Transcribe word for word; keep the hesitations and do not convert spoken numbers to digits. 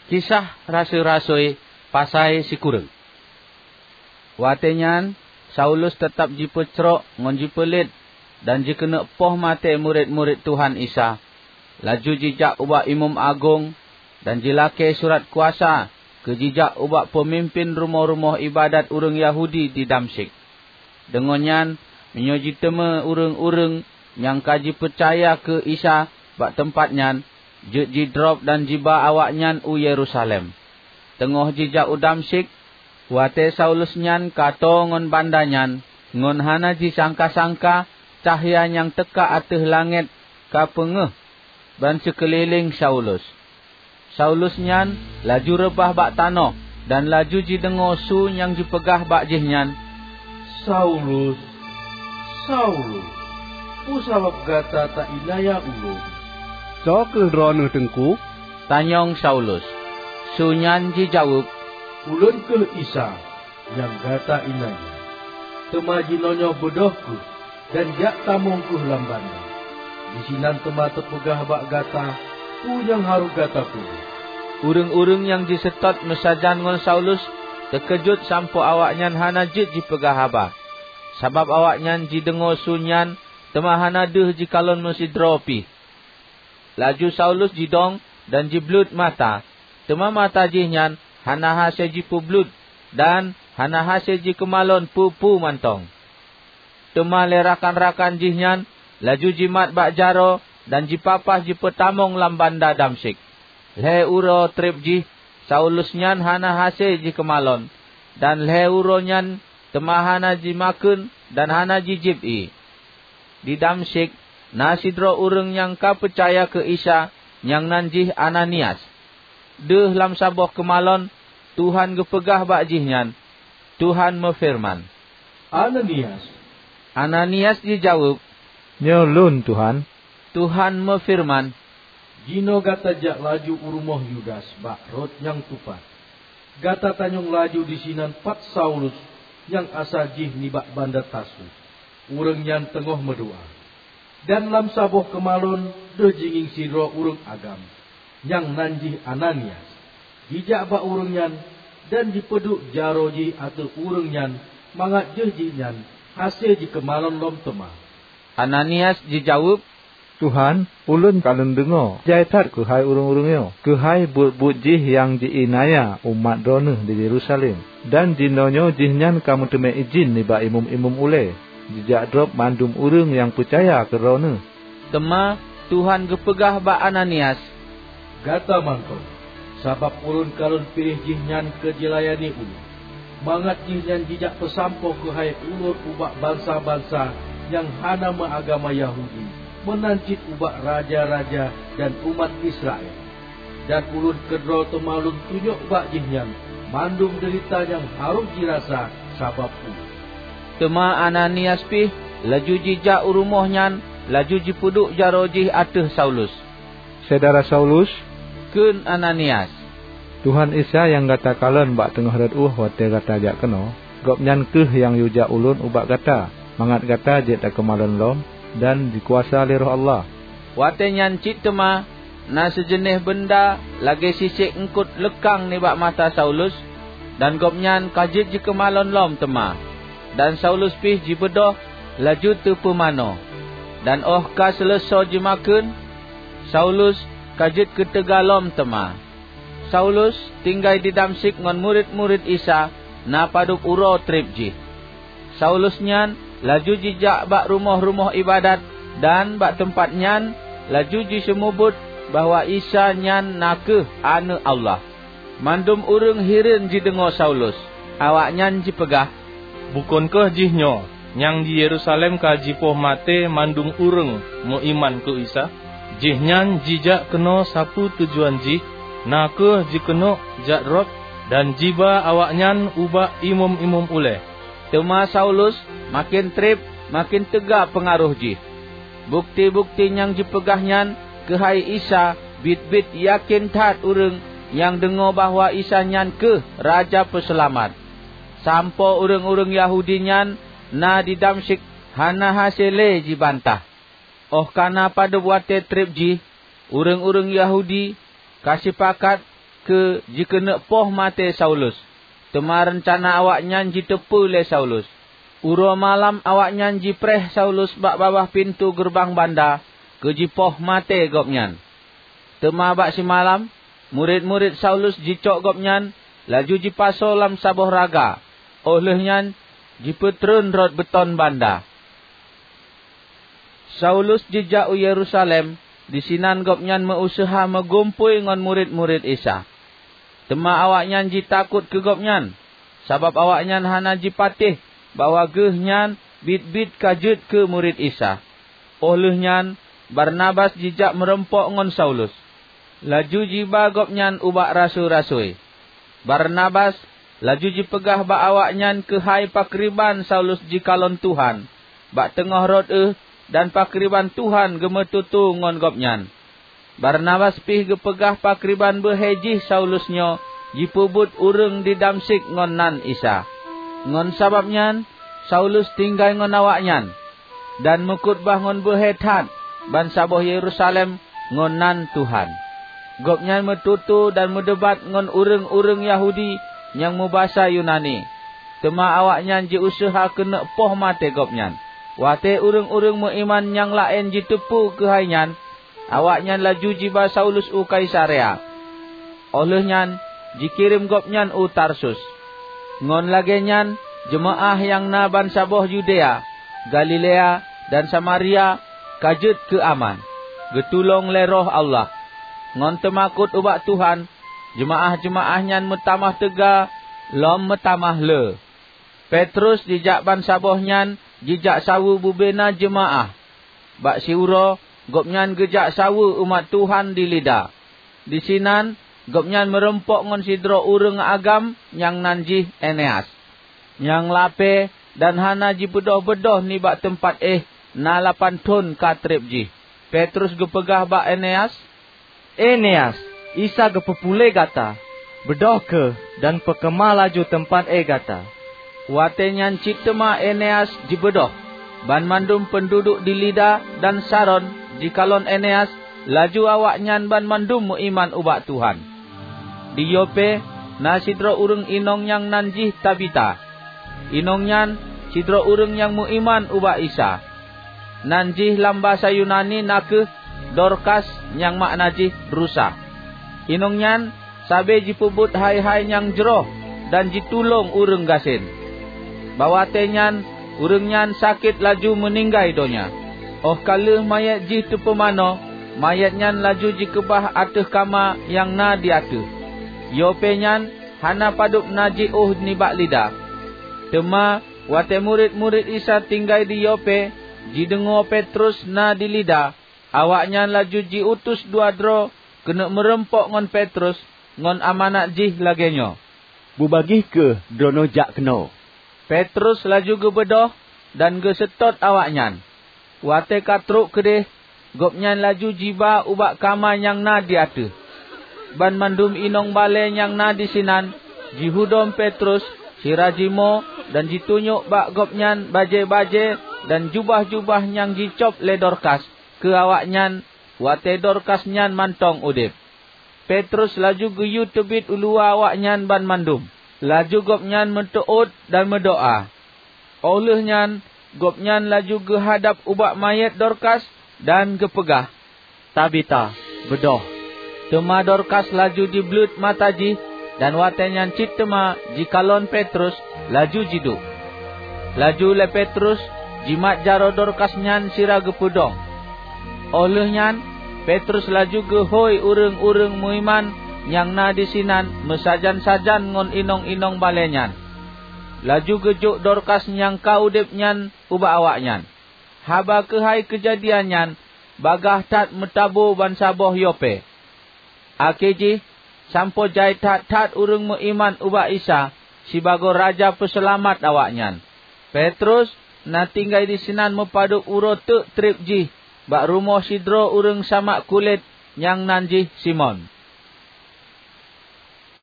Kisah Rasui-rasui pasai sikureueng. Watée nyan Saulus teutab jipeucrok ngon jipeulet dan jikeuneuk poh maté murit-murit Tuhan Isa. Laju jijak ubak imeum agong dan jilakée surat kuasa keu jijak ubak peumimpén rumoh-rumoh iébadat ureuëng Yahudi di Damsyik. Deungon nyan, meunyoe jiteumé ureuëng-ureuëng nyang ka jipeucaya keu Isa bak teumpat nyan, jeuet jidrob dan jiba awaknyan u Yerusalem. Teungoh jijak u Damsyik, watée Saulus nyan ka tô ngon banda nyan, ngon hana jisangka-sangka cahya nyang teuka ateueh langét ka peungéh ban sikeulileng Saulus. Saulus nyan laju reubah bak tanoh dan laju jideungoe su nyang jipeugah bak jihnyan, "Saulus, Saulus, peue sabab gata taiénaya ulôn?" "Soe kheueh Droeneueh, Teungku?" tanyong Saulus. Su nyan jijaweueb, "Ulôn kheueh Isa nyang gata iénaya. Teuma jinoenyoe beudôh kheueh dan jak tamong kheueh lam banda. Disinan teuma teupeugah bak gata peue nyang harôh gata peubuet." Ureuëng-ureuëng nyang jiseutôt meusajan ngon Saulus teukeujot sampoe awaknyan hana jeuet jipeugah haba, sabab awaknyan jideungoe su nyan teuma hana deuh jikalon meusidroe pih. Laju Saulus jidong dan jibleuet mata, teuma mata jih nyan hana hase jipeubleuet dan hana hase jikeumalon peue-peue mantong. Teuma lé rakan-rakan jih nyan laju jimat bak jaroe dan jipapah jipeutamong lam banda Damsyik. Lhée uroe treb jih Saulus nyan hana hase jikeumalon, dan lhée uroe nyan teuma hana jimakheun dan hana jijieb ié. Di Damsyik na sidroe ureuëng nyang ka peucaya keu Isa nyang nan jih Ananias. Deuh lam saboh keumalon Tuhan geupeugah bak jihnyan, Tuhan meufeureuman, "Ananias!" Ananias jijaweueb, "Nyoe lôn, Tuhan." Tuhan meufeureuman, "Jinoe gata jak laju u rumoh Yudas bak rot nyang tupat. Gata tanyong laju disinan pat Saulus nyang asa jih nibak banda Tarsus. Ureuëng nyan teungoh meudoá. Dan lam saboh keumalon deuh jingieng sidroe ureuëng agam, nyang nan jih Ananias. Jijak bak ureuëng nyan dan jipeuduek jaroe jih ateueh ureuëng nyan mangat deuh jihnyan hase jikeumalon lom teuma." Ananias jijaweueb, "Tuhan, ulôn ka lôn deungoe jai that keuhai ureuëng-ureuëng nyoe, keuhai buet-buet jih nyang ji-iénaya umat Droeneueh di Yerusalem. Dan jinoenyoe jihnyan ka meuteumé idhin nibak imeum-imeum ulée jijak drob mandum ureuëng nyang peucaya keu Droeneueh." Teuma Tuhan geupeugah bak Ananias, "Gata mantong, sabab ulôn ka lôn piléh jihnyan keu jilayani ulôn, mangat jihnyan jijak peusampoe keuhai ulôn ubak bansa-bansa nyang hana meuagama Yahudi, meunan cit ubak raja-raja dan umat Israel. Dan ulôn keudroe teuma lôn tunyok bak jihnyan mandum deurita nyang harôh jirasa sabab ulôn." Teuma Ananias pih laju jijak u rumoh nyan laju jipeuduek jaroe jih ateueh Saulus. "Syedara Saulus," kheun Ananias, "Tuhan Isa nyang gata kalon bak teungoh rot ueh watée gata jak keunoe, Gobnyan kheueh nyang yue jak ulôn ubak gata, mangat gata jeuet takeumalon lom dan jikuasa lé Roh Allah." Watée nyan cit teuma na seujeunéh beunda lagée sisék eungkot leukang nibak mata Saulus, dan gobnyan ka jeuet jikeumalon lom teuma. Dan Saulus pih jibeudôh laju teupeumanoe. Dan óh ka seuleusoe jimakheun, Saulus ka jeuet keu teuga lom teuma. Saulus tinggai di Damsyik ngon murit-murit Isa na padub uroe treb jih. Saulus nyan laju jijak bak rumoh-rumoh iébadat, dan bak teumpat nyan laju jiseumeubeuet bahwa Isa nyan na kheueh Aneuëk Allah. Mandum ureuëng hireuen jideungoe Saulus. Awaknyan jipeugah, "Bukon kheueh jihnyoe nyang di Yerusalem ka jipoh maté mandum ureuëng meuiman keu Isa? Jihnyan jijak keunoe sapeue tujuan jih, na kheueh jikeuneuk jak drob dan jiba awaknyan ubak imeum-imeum ulée." Teuma Saulus maken treb, maken teuga peungaroh jih. Bukeuti-bukeuti nyang jipeugah nyan keuhai Isa biet-biet yakén that ureuëng nyang deungoe bahwa Isa nyan kheueh Raja Peuseulamat. Sampoe ureuëng-ureuëng Yahudi nyan na di Damsyik hana hase lé jibantah. Óh ka na padub watée treb jih, ureuëng-ureuëng Yahudi ka sipakat keu jikeuneuk poh maté Saulus, teuma reuncana awaknyan jiteupeue lé Saulus. Uroe malam awaknyan jipreh Saulus bak babah pintoe geureubang banda keu jipoh maté gobnyan. Teuma bak simalam, murit-murit Saulus jicok gobnyan, laju jipasoe lam saboh raga, óh lheueh nyan jipeutreun rot beuton banda. Saulus jijak u Yerusalem, disinan gobnyan meu-useuha meugumpôi ngon murit-murit Isa. Teuma awaknyan jitakot keu gobnyan, sabab awaknyan hana jipatéh bahwa geuh nyan biet-biet ka jeuet keu murit Isa. Óh lheueh nyan, Barnabas jijak meurumpok ngon Saulus, laju jiba gobnyan ubak rasui-rasui. Barnabas laju jipeugah bak awaknyan keuhai pakriban Saulus jikalon Tuhan bak teungoh rot éh dan pakriban Tuhan geumeututoe ngon gobnyan. Barnabas pih geupeugah pakriban beuhe jih Saulus nyoe jipeubuet ureuëng di Damsyik ngon nan Isa. Ngon sabab nyan, Saulus tinggai ngon awaknyan, dan meukhutbah ngon beuhe that bansaboh Yerusalem ngon nan Tuhan. Gobnyan meututoe dan meudebat ngon ureuëng-ureuëng Yahudi nyang meubasa Yunani, teuma awaknyan jiuseuha keuneuk poh maté gobnyan. Watée ureuëng-ureuëng meuiman nyang laén jiteupeue keuhai nyan, awaknyan laju jiba Saulus u Kaisarea. Óh lheueh nyan, jikirém gobnyan u Tarsus. Ngon lagée nyan, jeumaáh nyang na bansaboh Yudea, Galilea, dan Samaria ka jeuet keu aman, geutulông lé Roh Allah. Ngon teumakot ubak Tuhan, jeumaáh-jeumaáh nyan meutamah teuga lom meutamah le. Petrus jijak bansaboh nyan jijak saweue bubena jeumaáh. Bak siuroe, gobnyan geujak saweue umat Tuhan di Lida. Disinan, gobnyan meurumpok ngon sidroe ureuëng agam nyang nan jih Eneas, nyang lapée dan hana jibeudôh-beudôh nibak teumpat éh na lapan thon ka treb jih. Petrus geupeugah bak Eneas, "Eneas, Isa geupeupuléh gata. Beudôh kheueh dan peukeumah laju teumpat éh gata." Watée nyan cit teuma Eneas jibeudôh. Banmandum peunduduek di Lida dan Saron jikalon Eneas, laju awaknyan banmandum meuiman ubak Tuhan. Di Yope na sidroe ureuëng inong nyang nan jih Tabita. Inong nyan sidroe ureuëng nyang meuiman ubak Isa. Nan jih lam basa Yunani na kheueh Dorkas, nyang makna jih rusa. Inong nyan sabe jipeubuet hai-hai nyang jroh dan jitulông ureuëng gasien. Bak watée nyan, ureuëng nyan sakét laju meuninggai donya. Óh ka lheueh manyét jih teupeumanoe, manyét nyan laju jikeubah ateueh kama nyang na di ateueh. Yope nyan hana padub na jiôh nibak Lida. Teuma watée murit-murit Isa tinggai di Yope jideungoe Petrus na di Lida, awaknyan laju jiutus dua droe keuneuk meurumpok ngon Petrus ngon amanat jih lagée nyoe, "Beubagih kheueh droeneueh jak keunoe." Petrus laju geubeudôh dan geuseutôt awaknyan. Watée ka trok keudeh, gobnyan laju jiba ubak kama nyang na di ateueh. Banmandum inong balée nyang na disinan jihudom Petrus sira jimoe dan jitunyok bak gobnyan bajée-bajée dan jubah-jubah nyang jicôb lé Dorkas keu awaknyan watée Dorkas nyan mantong udeb. Petrus laju geuyue teubiet u luwa awaknyan banmandum. Laju gobnyan meuteuôt dan meudoá. Óh lheueh nyan, gobnyan laju geuhadab ubak manyét Dorkas dan geupeugah, "Tabita, beudôh!" Teuma Dorkas laju jibleuet mata jih, dan watée nyan cit teuma jikalon Petrus, laju jiduek. Laju lé Petrus jimat jaroe Dorkas nyan sira geupeudong. Óh lheueh nyan, Petrus laju geuhôi ureuëng-ureuëng meuiman nyang na disinan meusajan-sajan ngon inong-inong balée nyan. Laju geujok Dorkas nyang ka udeb nyan ubak awaknyan. Haba keuhai keujadian nyan bagaih that meutaboe bansaboh Yope. Akhé jih, sampoe jai that-that ureuëng meuiman ubak Isa sibagoe Raja Peuseulamat awaknyan. Petrus na tinggai disinan meupadub uroe teuk treb jih bak rumoh sidroe ureuëng samak kulét nyang nan jih Simon.